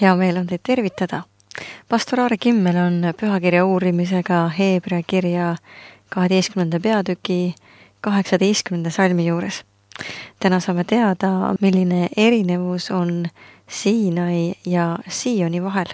Hea meel on teid tervitada. Pastor Aare Kimmel on pühakirja uurimisega Hebra kirja 12. peatüki 18. salmi juures. Täna saame teada, milline erinevus on Siinai ja Sioni vahel.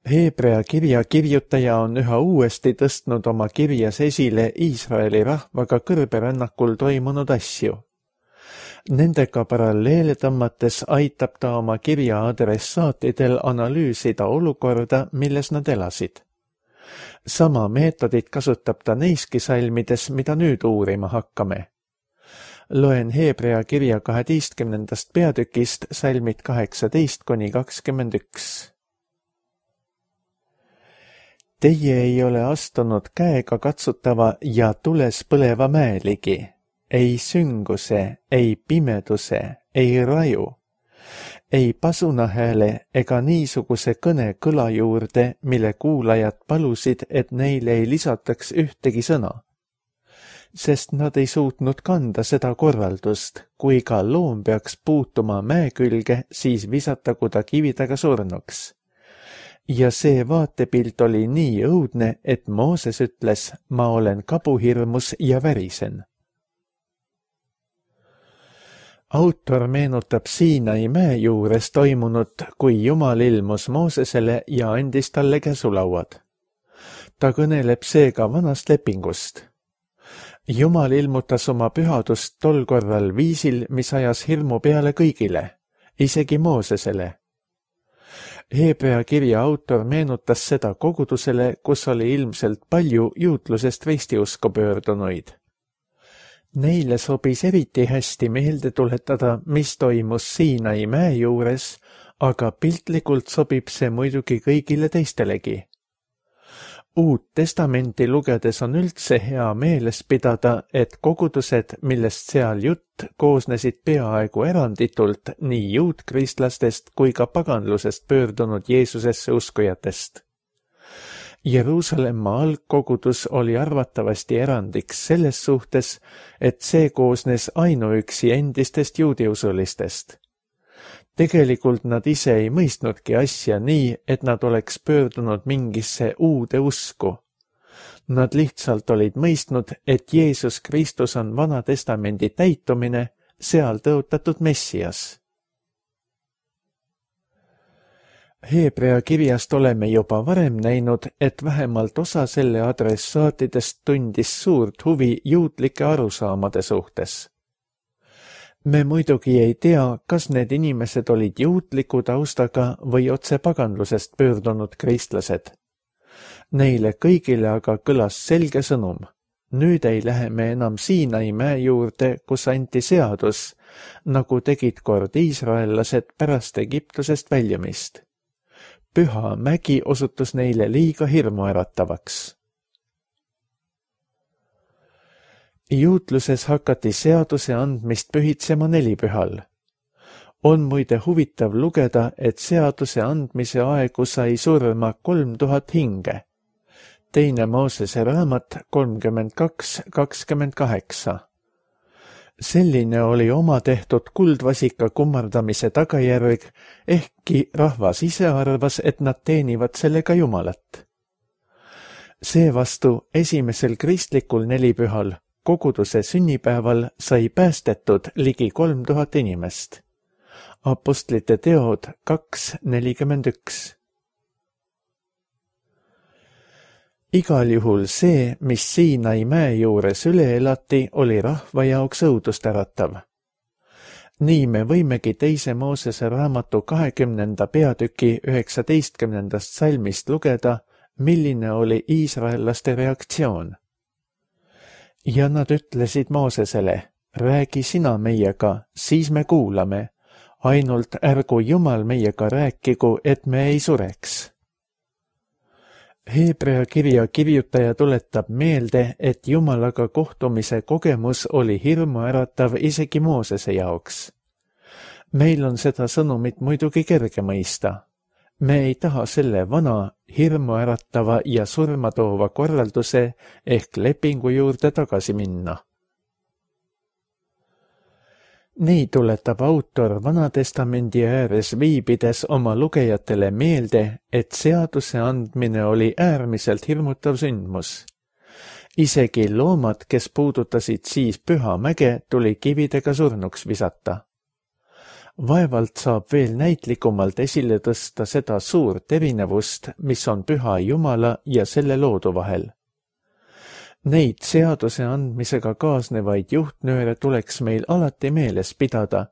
Hebra kirja kirjutaja on üha uuesti tõstnud oma kirjas esile Iisraeli rahvaga kõrberännakul toimunud asju. Nendega paralleele tõmmates aitab ta oma kirja adressaatidel analüüsida olukorda, milles nad elasid. Sama meetodit kasutab ta neiski salmides, mida nüüd uurima hakkame. Loen Hebra kirja 12. peatükist salmid 18–21. Teie ei ole astunud käega katsutava ja tules põleva mäe ligi, ei sünguse, ei pimeduse, ei raju, ei pasunahääle ega niisuguse kõne kõla juurde, mille kuulajad palusid, et neile ei lisataks ühtegi sõna. Sest nad ei suutnud kanda seda korraldust, kui ka loom peaks puutuma mäe külge, siis visatagu ta kividega surnuks. Ja see vaatepilt oli nii õudne, et Mooses ütles, ma olen kabuhirmus ja värisen. Autor meenutab Siinai mäe juures toimunut, kui Jumal ilmus Moosesele ja andis talle käsulauad. Ta kõneleb seega vanast lepingust. Jumal ilmutas oma pühadust tol korral viisil, mis ajas hirmu peale kõigile, isegi Moosesele. Hebra kirja autor meenutas seda kogudusele, kus oli ilmselt palju juutlusest ristiusku pöördunuid. Neile sobis eriti hästi meelde tuletada, mis toimus Siinai mäe juures, aga piltlikult sobib see muidugi kõigile teistelegi. Uut testamenti lugedes on üldse hea meeles pidada, et kogudused, millest seal jutt, koosnesid peaaegu eranditult nii juutkristlastest kui ka paganlusest pöördunud Jeesusesse uskujatest. Jeruusalemma algkogudus oli arvatavasti erandiks selles suhtes, et see koosnes ainuüksi endistest juudiusulistest. Tegelikult nad ise ei mõistnudki asja nii, et nad oleks pöördunud mingisse uude usku. Nad lihtsalt olid mõistnud, et Jeesus Kristus on Vana Testamendi täitumine, seal tõotatud Messias. Hebra kirjast oleme juba varem näinud, et vähemalt osa selle adressaatidest tundis suurt huvi juutlike arusaamade suhtes. Me muidugi ei tea, kas need inimesed olid juutliku taustaga või otse paganlusest pöördunud kristlased. Neile kõigile aga kõlas selge sõnum. Nüüd ei lähe me enam Siinai mäe juurde, kus anti seadus, nagu tegid kord iisraellased pärast Egiptusest väljumist. Püha mägi osutus neile liiga hirmuäratavaks. Juutluses hakati seaduse andmist pühitsema nelipühal. On muide huvitav lugeda, et seaduse andmise aegu sai surma 3000 hinge. Teine Moosese raamat 32:28. Selline oli oma tehtud kuldvasika kummardamise tagajärg, ehkki rahvas ise arvas, et nad teenivad sellega Jumalat. Seevastu esimesel kristlikul nelipühal koguduse sünnipäeval sai päästetud ligi 3000 inimest. Apostlite teod 2:41. Igal juhul see, mis Siinai mäe juures üle elati, oli rahva jaoks õudust äratav. Nii me võimegi teise Moosese raamatu 20. peatüki 19. salmist lugeda, milline oli iisraellaste reaktsioon. Ja nad ütlesid Moosesele, räägi sina meiega, siis me kuulame, ainult ärgu Jumal meiega rääkigu, et me ei sureks. Hebra kirja kirjutaja tuletab meelde, et Jumalaga kohtumise kogemus oli hirmuäratav isegi Moosese jaoks. Meil on seda sõnumit muidugi kerge mõista. Me ei taha selle vana, hirmuäratava ja surma toova korralduse ehk lepingu juurde tagasi minna. Nii tuletab autor Vanatestamendi ääres viibides oma lugejatele meelde, et seaduse andmine oli äärmiselt hirmutav sündmus. Isegi loomad, kes puudutasid siis Püha mäge, tuli kividega surnuks visata. Vaevalt saab veel näitlikumalt esile tõsta seda suurt erinevust, mis on Püha Jumala ja selle loodu vahel. Neid seaduse andmisega kaasnevaid juhtnööre tuleks meil alati meeles pidada,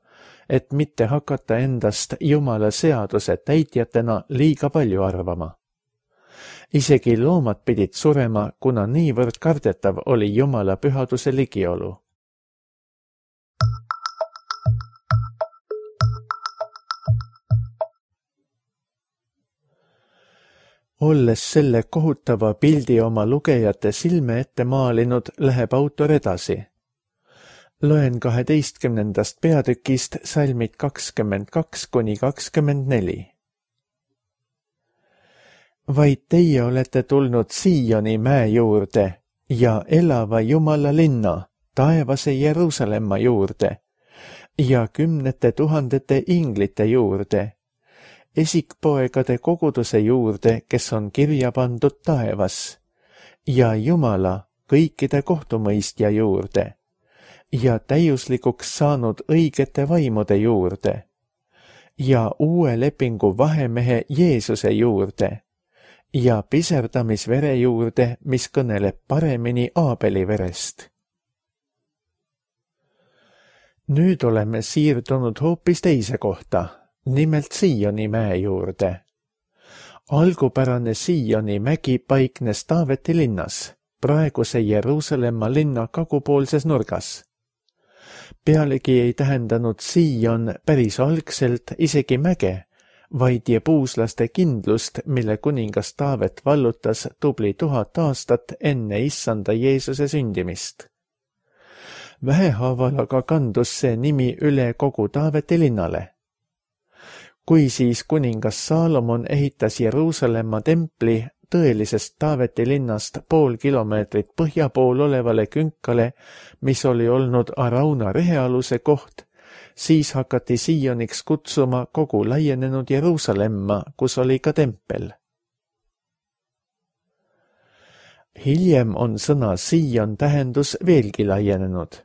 et mitte hakata endast Jumala seaduse täitjatena liiga palju arvama. Isegi loomad pidid surema, kuna niivõrd kardetav oli Jumala pühaduse ligiolu. Olles selle kohutava pildi oma lugejate silme ette maalinud, läheb autor edasi. Loen 12. peatükist salmid 22–24. Vaid teie olete tulnud Sioni mäe juurde ja elava Jumala linna, taevase Jeruusalemma juurde ja 10 000 inglite juurde, esikpoegade koguduse juurde, kes on kirja pandud taevas, ja Jumala kõikide kohtumõistja juurde, ja täiuslikuks saanud õigete vaimude juurde, ja uue lepingu vahemehe Jeesuse juurde, ja piserdamisvere juurde, mis kõneleb paremini Aabeli verest. Nüüd oleme siirdunud hoopis teise kohta, nimelt Sioni mäe juurde. Algupärane Sioni mägi paiknes Taaveti linnas, praeguse Jeruusalemma linna kagupoolses nurgas. Pealegi ei tähendanud Sion päris algselt isegi mäge, vaid jebuuslaste kindlust, mille kuningas Taavet vallutas tubli 1000 aastat enne issanda Jeesuse sündimist. Vähehaaval aga kandus see nimi üle kogu Taaveti linnale. Kui siis kuningas Saalomon ehitas Jeruusalemma templi tõelisest Taaveti linnast pool kilomeetrit põhja pool olevale künkale, mis oli olnud Arauna rehealuse koht, siis hakati Sioniks kutsuma kogu laienenud Jeruusalemma, kus oli ka tempel. Hiljem on sõna Sion tähendus veelgi laienenud.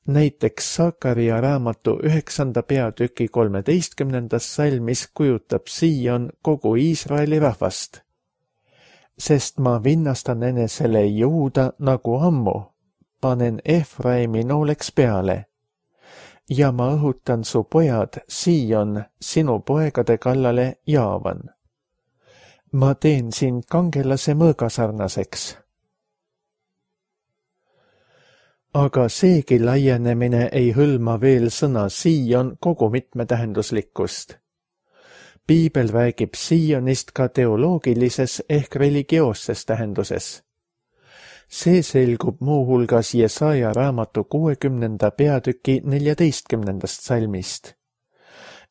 Näiteks Sakaria raamatu 9. peatüki 13. salmis kujutab Sion kogu Iisraeli rahvast. Sest ma vinnastan enesele Juuda nagu ammu, panen Efraimi nooleks peale. Ja ma õhutan su pojad, Sion, sinu poegade kallale Jaavan. Ma teen sind kangelase mõõgasarnaseks. Aga seegi laienemine ei hõlma veel sõna Sion kogu mitmetähenduslikkust. Piibel räägib Sionist ka teoloogilises ehk religioosses tähenduses. See selgub muuhulgas Jesaja raamatu 60. peatüki 14. salmist.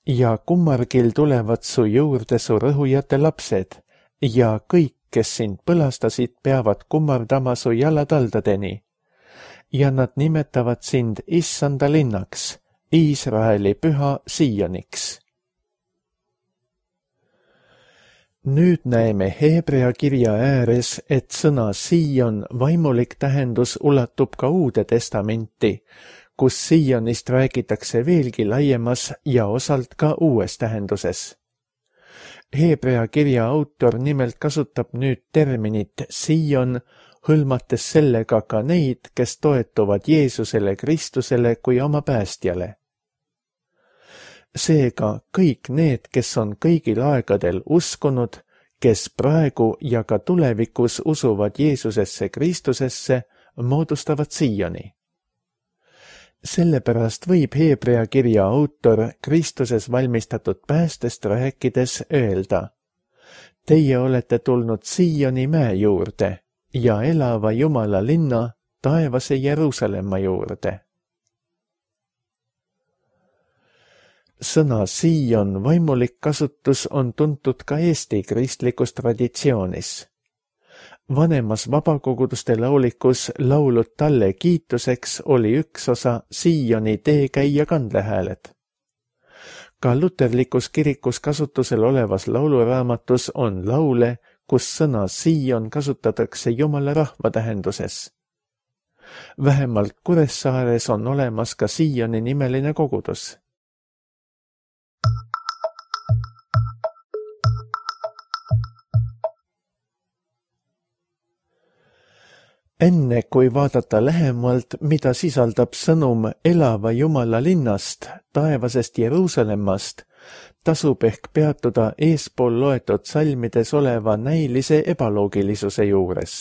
Ja kummargil tulevad su juurde su rõhujate lapsed ja kõik, kes sind põlastasid, peavad kummardama su jalataldadeni. Ja nad nimetavad sind issanda linnaks, Iisraeli püha Sioniks. Nüüd näeme Heebrea kirja ääres, et sõna Sion vaimulik tähendus ulatub ka Uude testamenti, kus Sionist räägitakse veelgi laiemas ja osalt ka uues tähenduses. Heebrea kirja autor nimelt kasutab nüüd terminit Sion, hõlmates sellega ka neid, kes toetuvad Jeesusele Kristusele kui oma päästjale. Seega kõik need, kes on kõigil aegadel uskunud, kes praegu ja ka tulevikus usuvad Jeesusesse Kristusesse, moodustavad Sioni. Sellepärast võib Heebrea kirja autor Kristuses valmistatud päästest rääkides öelda: Teie olete tulnud Sioni mäe juurde ja elava Jumala linna, taevase Jeruusalemma juurde. Sõna Sion vaimulik kasutus on tuntud ka Eesti kristlikus traditsioonis. Vanemas vabakoguduste laulikus laulud talle kiituseks oli üks osa Sioni teekäija kandlehääled. Ka luterlikus kirikus kasutusel olevas lauluraamatus on laule, kus sõna Sion kasutatakse Jumala rahva tähenduses. Vähemalt Kuressaares on olemas ka Sioni nimeline kogudus. Enne kui vaadata lähemalt, mida sisaldab sõnum elava Jumala linnast, taevasest Jeruusalemmast, tasub ehk peatuda eespool loetud salmides oleva näilise ebaloogilisuse juures.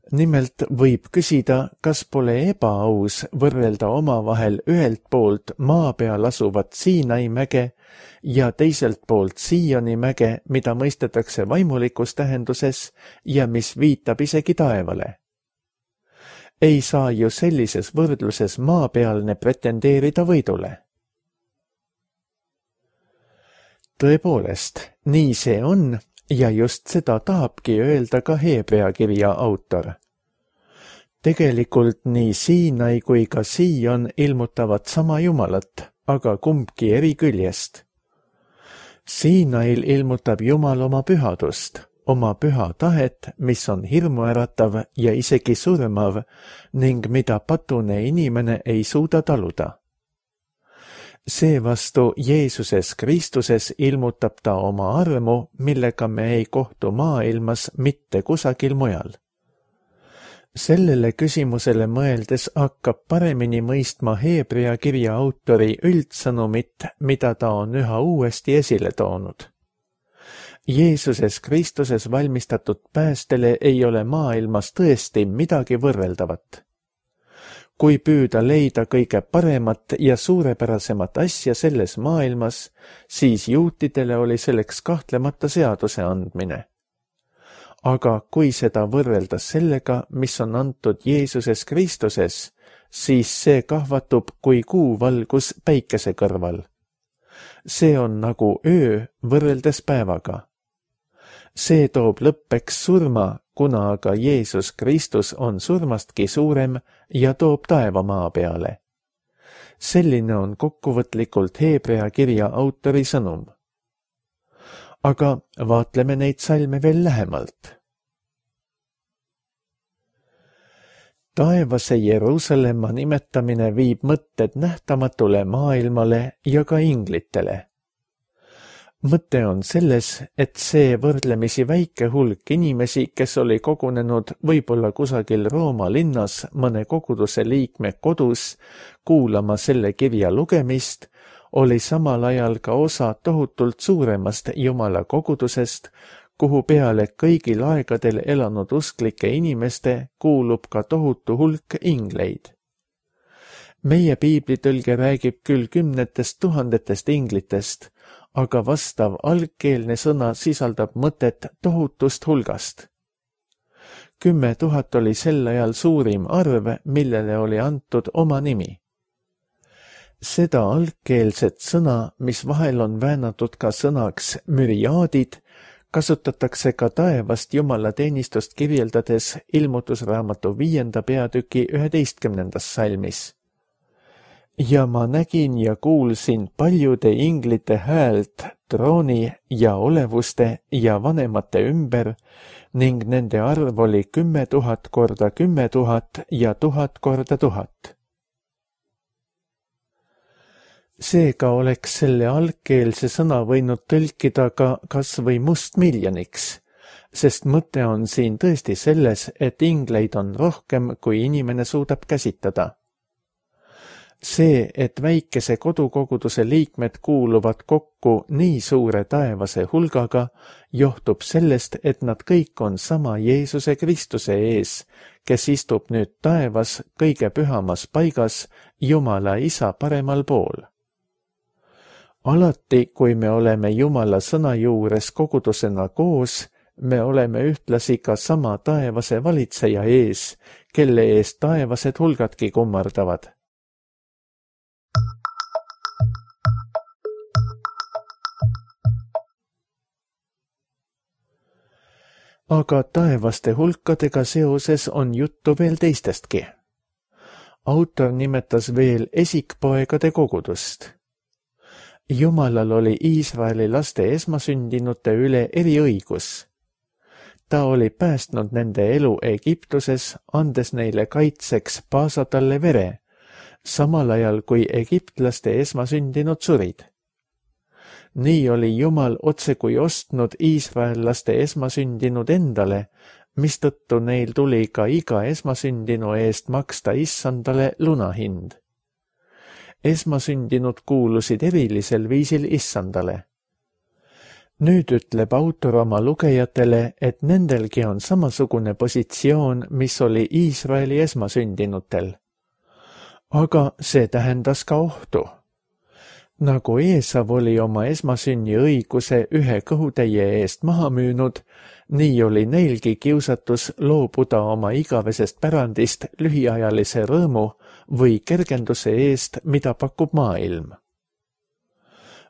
Nimelt võib küsida, kas pole ebaaus võrrelda omavahel ühelt poolt maa peal asuvat Siinai mäge ja teiselt poolt Sioni mäge, mida mõistetakse vaimulikus tähenduses ja mis viitab isegi taevale. Ei saa ju sellises võrdluses maapealne pretendeerida võidule. Tõepoolest, nii see on ja just seda tahabki öelda ka Heebrea kirja autor. Tegelikult nii Siinai kui ka Sion ilmutavad sama Jumalat, aga kumbki eri küljest. Siinail ilmutab Jumal oma pühadust, oma püha tahet, mis on hirmuäratav ja isegi surmav ning mida patune inimene ei suuda taluda. Seevastu Jeesuses Kristuses ilmutab ta oma armu, millega me ei kohtu maailmas mitte kusagil mujal. Sellele küsimusele mõeldes hakkab paremini mõistma Heebrea kirja autori üldsõnumit, mida ta on üha uuesti esile toonud. Jeesuses Kristuses valmistatud päästele ei ole maailmas tõesti midagi võrreldavat. Kui püüda leida kõige paremat ja suurepärasemat asja selles maailmas, siis juutidele oli selleks kahtlemata seaduse andmine. Aga kui seda võrrelda sellega, mis on antud Jeesuses Kristuses, siis see kahvatub kui kuuvalgus päikese kõrval. See on nagu öö võrreldes päevaga. See toob lõppeks surma, kuna aga Jeesus Kristus on surmastki suurem ja toob taeva maa peale. Selline on kokkuvõtlikult Heebrea kirja autori sõnum. Aga vaatleme neid salme veel lähemalt. Taevase Jeruusalemma nimetamine viib mõtted nähtamatule maailmale ja ka inglitele. Mõte on selles, et see võrdlemisi väike hulk inimesi, kes oli kogunenud võib-olla kusagil Rooma linnas mõne koguduse liikme kodus kuulama selle kirja lugemist, oli samal ajal ka osa tohutult suuremast Jumala kogudusest, kuhu peale kõigil aegadel elanud usklike inimeste kuulub ka tohutu hulk ingleid. Meie piiblitõlge räägib küll 10 000 inglitest, aga vastav algkeelne sõna sisaldab mõtet tohutust hulgast. 10 000 oli sel ajal suurim arv, millele oli antud oma nimi. Seda algkeelset sõna, mis vahel on väänatud ka sõnaks müriaadid, kasutatakse ka taevast Jumala teenistust kirjeldades ilmutusraamatu 5. peatüki 11. salmis. Ja ma nägin ja kuulsin paljude inglite häält trooni ja olevuste ja vanemate ümber ning nende arv oli 10 000 korda 10 000 ja 1000 korda 1000. Seega oleks selle algkeelse sõna võinud tõlkida ka kas või mustmiljoniks, sest mõte on siin tõesti selles, et ingleid on rohkem, kui inimene suudab käsitada. See, et väikese kodukoguduse liikmed kuuluvad kokku nii suure taevase hulgaga, johtub sellest, et nad kõik on sama Jeesuse Kristuse ees, kes istub nüüd taevas kõige pühamas paigas Jumala Isa paremal pool. Alati, kui me oleme Jumala sõna juures kogudusena koos, me oleme ühtlasi ka sama taevase valitseja ees, kelle ees taevased hulgadki kummardavad. aga taevaste hulkadega seoses on juttu veel teistestki. Autor nimetas veel esikpoegade kogudust. Jumalal oli Iisraeli laste esmasündinute üle eriõigus. Ta oli päästnud nende elu Egiptuses, andes neile kaitseks paasa talle vere, samal ajal kui egiptlaste esmasündinud surid. Nii oli Jumal otsekui ostnud iisraellaste esmasündinud endale, mistõttu neil tuli ka iga esmasündinu eest maksta issandale lunahind. Esmasündinud kuulusid erilisel viisil issandale. Nüüd ütleb autor oma lugejatele, et nendelgi on samasugune positsioon, mis oli Iisraeli esmasündinutel. Aga see tähendas ka ohtu. Nagu Eesav oli oma esmasünni õiguse ühe kõhutäie eest maha müünud, nii oli neilgi kiusatus loobuda oma igavesest pärandist lühiajalise rõõmu või kergenduse eest, mida pakub maailm.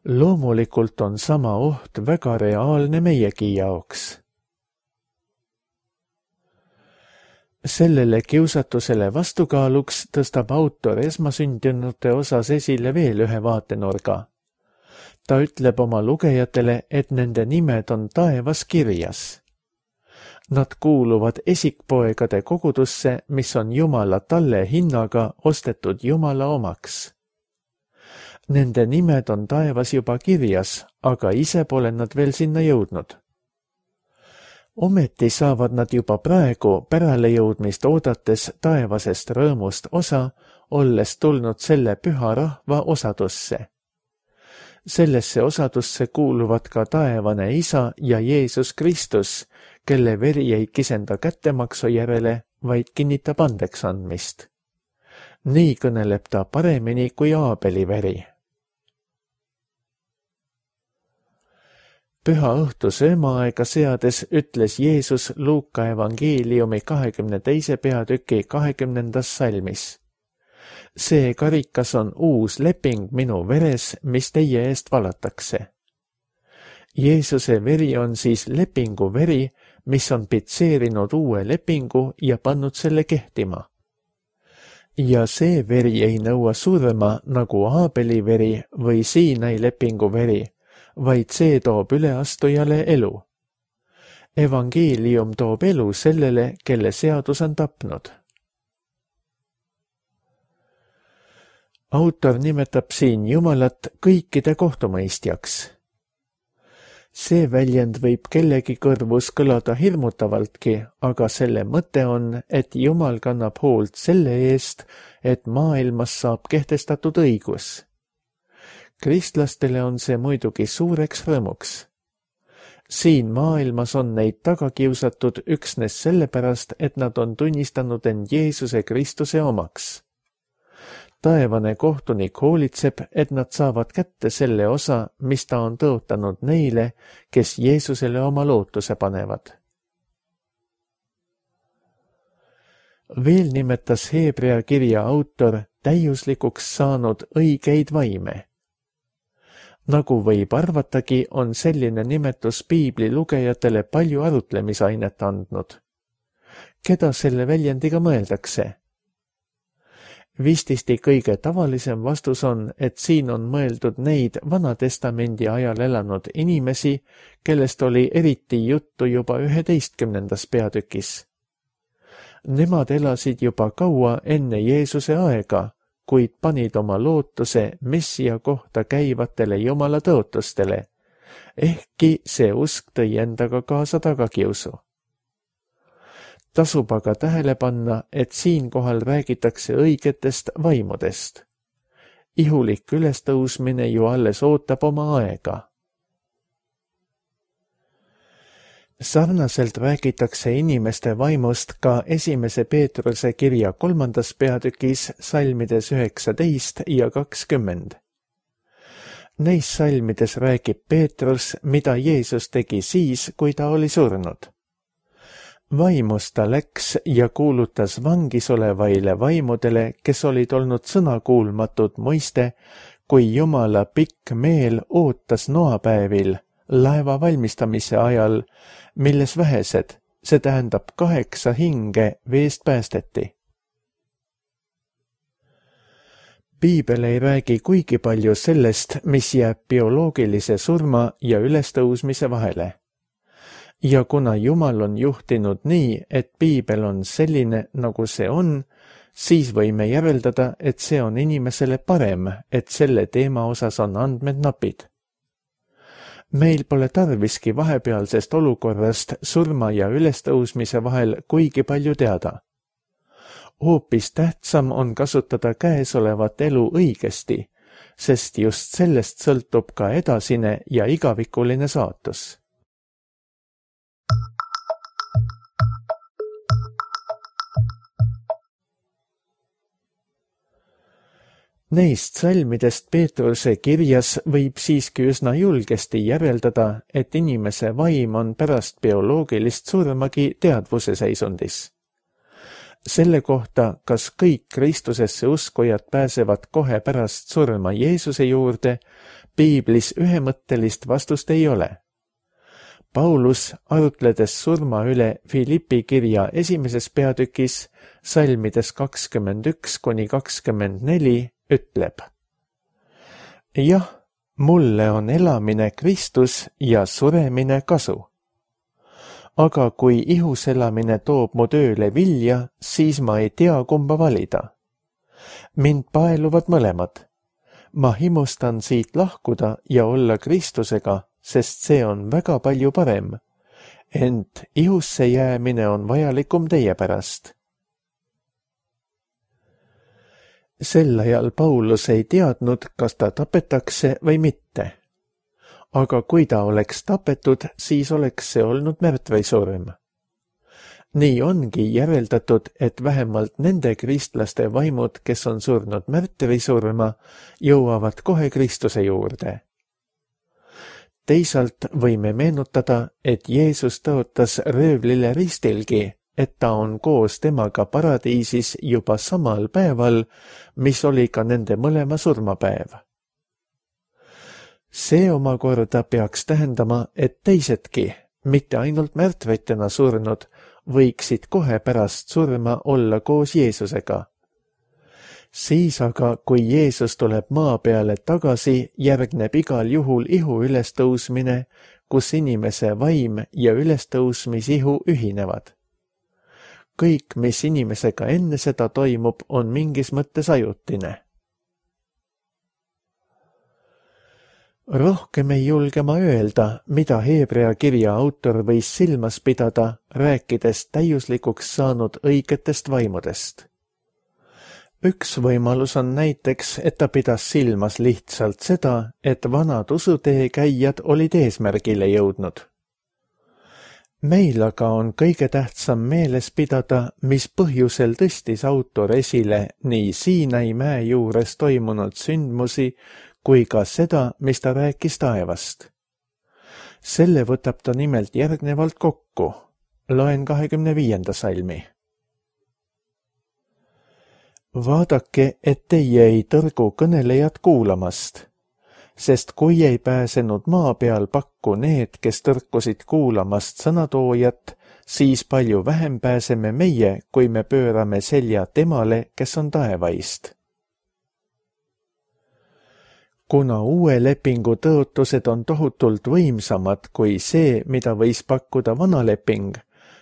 Loomulikult on sama oht väga reaalne meiegi jaoks. Sellele kiusatusele vastukaaluks tõstab autor esmasündinute osas esile veel ühe vaatenurga. Ta ütleb oma lugejatele, et nende nimed on taevas kirjas. Nad kuuluvad esikpoegade kogudusse, mis on Jumala talle hinnaga ostetud Jumala omaks. Nende nimed on taevas juba kirjas, aga ise pole nad veel sinna jõudnud. Ometi saavad nad juba praegu päralejõudmist oodates taevasest rõõmust osa, olles tulnud selle püha rahva osadusse. Sellesse osadusse kuuluvad ka taevane Isa ja Jeesus Kristus, kelle veri ei kisenda kättemaksu järele, vaid kinnitab andeks andmist. Nii kõneleb ta paremini kui Aabeli veri. Püha õhtu söömaaega seades ütles Jeesus Luuka evangeeliumi 22. peatüki 20. salmis. See karikas on uus leping minu veres, mis teie eest valatakse. Jeesuse veri on siis lepingu veri, mis on pitseerinud uue lepingu ja pannud selle kehtima. Ja see veri ei nõua surma nagu Aabeli veri või Siinai lepingu veri, vaid see toob üleastujale elu. Evangeelium toob elu sellele, kelle seadus on tapnud. Autor nimetab siin Jumalat kõikide kohtumõistjaks. See väljend võib kellegi kõrvus kõlada hirmutavaltki, aga selle mõte on, et Jumal kannab hoolt selle eest, et maailmas saab kehtestatud õigus. Kristlastele on see muidugi suureks rõõmuks. Siin maailmas on neid tagakiusatud üksnes sellepärast, et nad on tunnistanud end Jeesuse Kristuse omaks. Taevane kohtunik hoolitseb, et nad saavad kätte selle osa, mis ta on tõotanud neile, kes Jeesusele oma lootuse panevad. Veel nimetas Heebrea kirja autor täiuslikuks saanud õigeid vaime. Nagu võib arvatagi, on selline nimetus Piibli lugejatele palju arutlemisainet andnud. Keda selle väljendiga mõeldakse? Vististi kõige tavalisem vastus on, et siin on mõeldud neid Vanatestamendi ajal elanud inimesi, kellest oli eriti juttu juba 11. peatükis. Nemad elasid juba kaua enne Jeesuse aega, kuid panid oma lootuse Messia kohta käivatele Jumala tõotustele, ehkki see usk tõi endaga kaasa tagakiusu. Tasub aga tähele panna, et siinkohal räägitakse õigetest vaimudest. Ihulik ülestõusmine ju alles ootab oma aega. Sarnaselt räägitakse inimeste vaimust ka 1. Peetruse kirja 3. peatükis salmides 19 ja 20. Neis salmides räägib Peetrus, mida Jeesus tegi siis, kui ta oli surnud. Vaimus ta läks ja kuulutas vangis olevaile vaimudele, kes olid olnud sõnakuulmatud muiste, kui Jumala pikk meel ootas noapäevil, laeva valmistamise ajal, milles vähesed, see tähendab 8 hinge veest päästeti. Piibel ei räägi kuigi palju sellest, mis jääb bioloogilise surma ja ülestõusmise vahele. Ja kuna Jumal on juhtinud nii, et piibel on selline, nagu see on, siis võime järeldada, et see on inimesele parem, et selle teema osas on andmed napid. Meil pole tarviski vahepealsest olukorrast surma ja ülestõusmise vahel kuigi palju teada. Hoopis tähtsam on kasutada käesolevat elu õigesti, sest just sellest sõltub ka edasine ja igavikuline saatus. Neist salmidest Peetruse kirjas võib siiski üsna julgesti järeldada, et inimese vaim on pärast bioloogilist surmagi teadvuse seisundis. Selle kohta, kas kõik Kristusesse uskujad pääsevad kohe pärast surma Jeesuse juurde, piiblis ühemõttelist vastust ei ole. Paulus, arutledes surma üle Filippi kirja 1. peatükis, salmides 21–24, ütleb: jah, mulle on elamine Kristus ja suremine kasu. Aga kui ihuselamine toob mu tööle vilja, siis ma ei tea, kumba valida. Mind paeluvad mõlemad. Ma himustan siit lahkuda ja olla Kristusega, sest see on väga palju parem. Ent ihusse jäämine on vajalikum teie pärast. Sel ajal Paulus ei teadnud, kas ta tapetakse või mitte. Aga kui ta oleks tapetud, siis oleks see olnud märtrisurm. Nii ongi järeldatud, et vähemalt nende kristlaste vaimud, kes on surnud märtrisurma, jõuavad kohe Kristuse juurde. Teisalt võime meenutada, et Jeesus tõotas röövlile ristilgi, et ta on koos temaga paradiisis juba samal päeval, mis oli ka nende mõlema surmapäev. See omakorda peaks tähendama, et teisedki, mitte ainult märtritena surnud, võiksid kohe pärast surma olla koos Jeesusega. Siis aga, kui Jeesus tuleb maa peale tagasi, järgneb igal juhul ihu ülestõusmine, kus inimese vaim ja ülestõusmisihu ühinevad. Kõik, mis inimesega enne seda toimub, on mingis mõttes ajutine. Rohkem ei julge ma öelda, mida Hebrea kirja autor võis silmas pidada, rääkides täiuslikuks saanud õigetest vaimudest. Üks võimalus on näiteks, et ta pidas silmas lihtsalt seda, et vanad usutee käijad olid eesmärgile jõudnud. Meil aga on kõige tähtsam meeles pidada, mis põhjusel tõstis autor esile nii Siinai mäe juures toimunud sündmusi, kui ka seda, mis ta rääkis taevast. Selle võtab ta nimelt järgnevalt kokku. Loen 25. salmi. Vaadake, et teie ei tõrgu kõnelejat kuulamast, sest kui ei pääsenud maa peal pakku need, kes tõrkusid kuulamast sõnatoojat, siis palju vähem pääseme meie, kui me pöörame selja temale, kes on taevaist. Kuna uue lepingu tõotused on tohutult võimsamad kui see, mida võis pakkuda vana leping,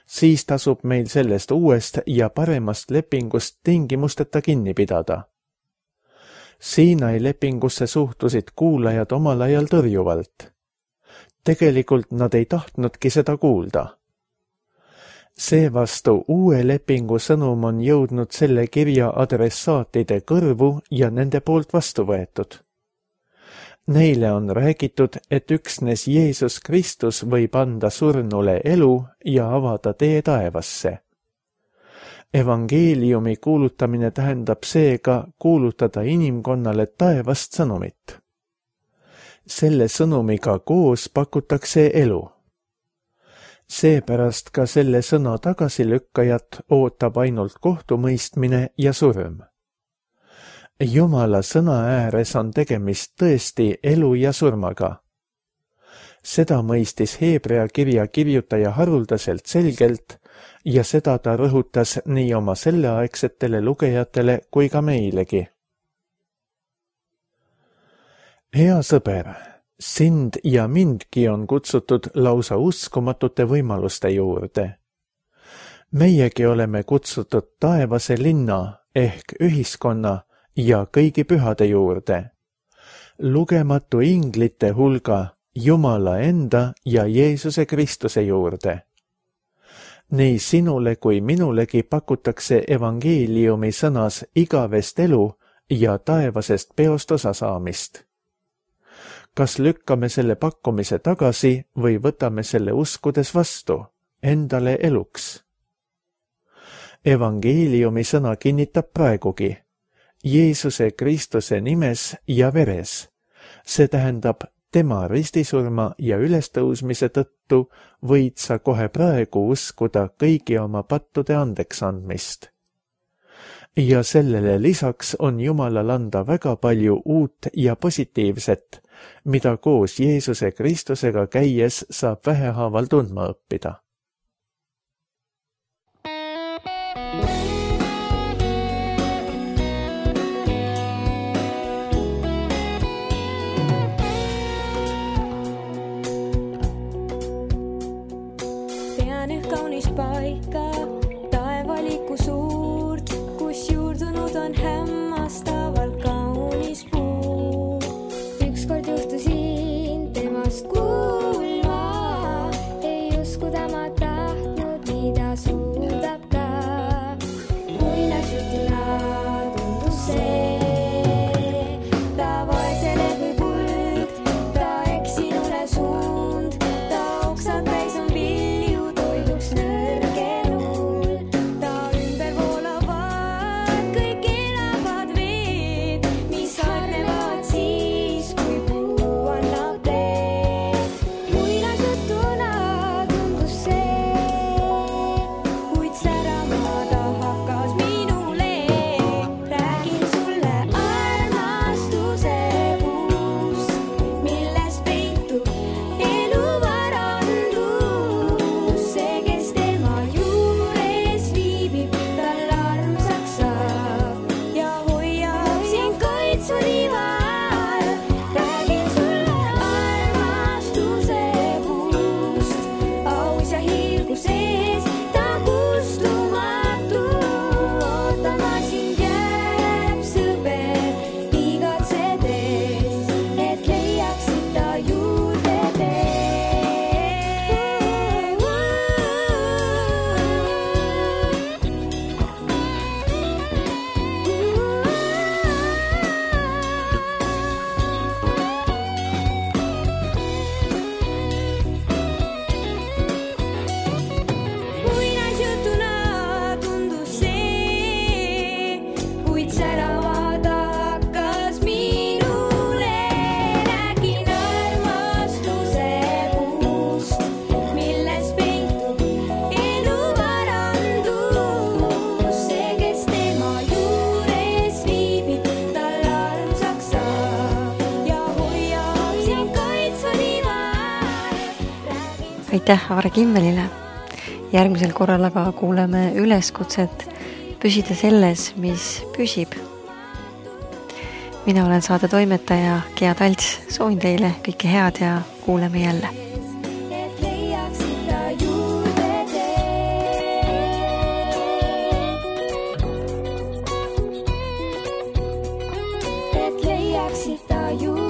siis tasub meil sellest uuest ja paremast lepingust tingimusteta kinni pidada. Siinai lepingusse suhtusid kuulajad omal ajal tõrjuvalt. Tegelikult nad ei tahtnudki seda kuulda. Seevastu uue lepingu sõnum on jõudnud selle kirja adressaatide kõrvu ja nende poolt vastu võetud. Neile on räägitud, et üksnes Jeesus Kristus võib anda surnule elu ja avada tee taevasse. Evangeeliumi kuulutamine tähendab seega kuulutada inimkonnale taevast sõnumit. Selle sõnumiga koos pakutakse elu. Seepärast ka selle sõna tagasilükkajat ootab ainult kohtumõistmine ja surm. Jumala sõna ääres on tegemist tõesti elu ja surmaga. Seda mõistis Heebrea kirja kirjutaja haruldaselt selgelt ja seda ta rõhutas nii oma selleaegsetele lugejatele kui ka meilegi. Hea sõber, sind ja mindki on kutsutud lausa uskumatute võimaluste juurde. Meiegi oleme kutsutud taevase linna ehk ühiskonna ja kõigi pühade juurde. Lugematu inglite hulga Jumala enda ja Jeesuse Kristuse juurde. Nii sinule kui minulegi pakutakse evangeeliumi sõnas igavest elu ja taevasest peost osa saamist. Kas lükkame selle pakkumise tagasi või võtame selle uskudes vastu, endale eluks? Evangeeliumi sõna kinnitab praegugi Jeesuse Kristuse nimes ja veres. See tähendab, tema ristisurma ja ülestõusmise tõttu võid sa kohe praegu uskuda kõigi oma pattude andeks andmist. Ja sellele lisaks on Jumalal anda väga palju uut ja positiivset, mida koos Jeesuse Kristusega käies saab vähehaaval tundma õppida. Kaunis paika, taevalikku suurt, kus juurdunud on hämmastavalt kaunis puu. Ükskord juhtusin temast kuulma, ei uskuda ma tahtnud, mida suudab ta. Muinasjutuna tundus see, ta vaesele kui kulg, ta eksinule suund, ta oksad täis on vilju toiduks nõrgenul. Ta ümber voolavad kõik elavad veed, mis harnevad siis, kui puu annab teed. Muinasjutuna tundus see, kuid särama ta hakkas minule. Räägin sulle armastuse puust, milles peitub elu varandus. See, kes tema juures viibib, tal armsaks saab ja hoiab sind kaitsvad ival. Räägin sulle armastuse puust, aus ja hiilgu sees, ta kustumatu. Ootama sind jääb sõber, igatsedes, et leiaksid ta juurde tee. Muinasjutuna tundus see, kuid särama ta hakkas minule. Räägin armastuse puust, milles peitub elu varandus. See, kes tema juures viibib, tal armsaks saab ja hoiab sind kaitsvad ival. Aitäh Aare Kimmelile! Järgmisel korral aga kuuleme üleskutset püsida selles, mis püsib. Mina olen saade toimetaja Gea Talts, soovin teile kõike head ja kuuleme jälle. Et leiaksid ta juurde tee. Et leiaksid ta juurde